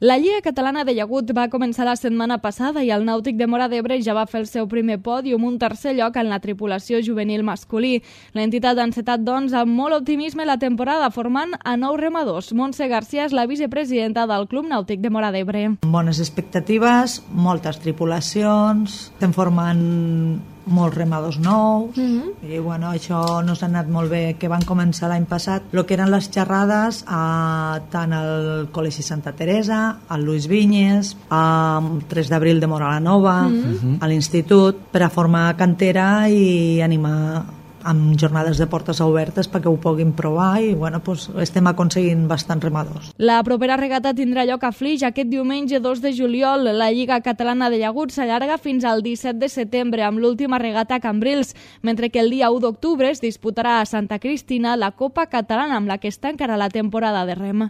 La Lliga Catalana de Llagut va començar la setmana passada i el Nàutic de Móra d'Ebre ja va fer el seu primer pòdium, un tercer lloc en la tripulació juvenil masculí. L'entitat ha encetat, doncs, amb molt optimisme la temporada, formant a 9 remadors. Montse García és la vicepresidenta del Club Nàutic de Móra d'Ebre. Bones expectatives, moltes tripulacions, estem formant molts remadors nous i bueno, això nos ha anat molt bé, que van començar l'any passat el que eren les xerrades tant al Col·legi Santa Teresa, al Luis Vinyes, al 3 d'abril de Móra la Nova, a l'institut, per a formar cantera i animar amb jornades de portes obertes perquè ho puguin provar i bueno, pues, estem aconseguint bastants remadors. La propera regata tindrà lloc a Flix aquest diumenge 2 de juliol. La Lliga Catalana de Llagut s'allarga fins al 17 de setembre amb l'última regata a Cambrils, mentre que el dia 1 d'octubre es disputarà a Santa Cristina la Copa Catalana amb la que es tancarà la temporada de rem.